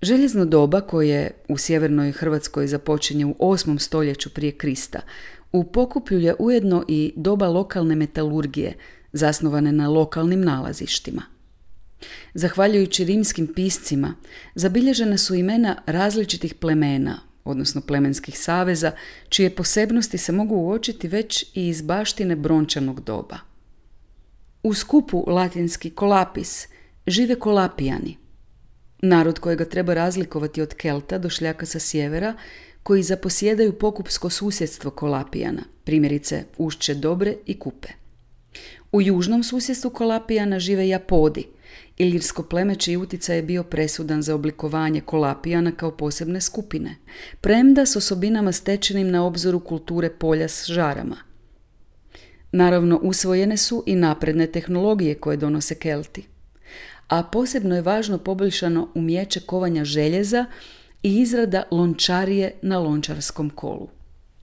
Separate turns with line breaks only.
Željezno doba koje u sjevernoj Hrvatskoj započinje u 8. stoljeću prije Krista, u Pokuplju je ujedno i doba lokalne metalurgije, zasnovane na lokalnim nalazištima. Zahvaljujući rimskim piscima, zabilježena su imena različitih plemena, odnosno plemenskih saveza, čije posebnosti se mogu uočiti već i iz baštine brončanog doba. U skupu latinski kolapis žive kolapijani, narod kojega treba razlikovati od Kelta, došljaka sa sjevera, koji zaposjedaju pokupsko susjedstvo kolapijana, primjerice Ušće Dobre i Kupe. U južnom susjedstvu kolapijana žive Japodi, ilirsko pleme čiji utjecaj je bio presudan za oblikovanje kolapijana kao posebne skupine, premda s osobinama stečenim na obzoru kulture polja s žarama. Naravno, usvojene su i napredne tehnologije koje donose Kelti, a posebno je važno poboljšano umijeće kovanja željeza i izrada lončarije na lončarskom kolu.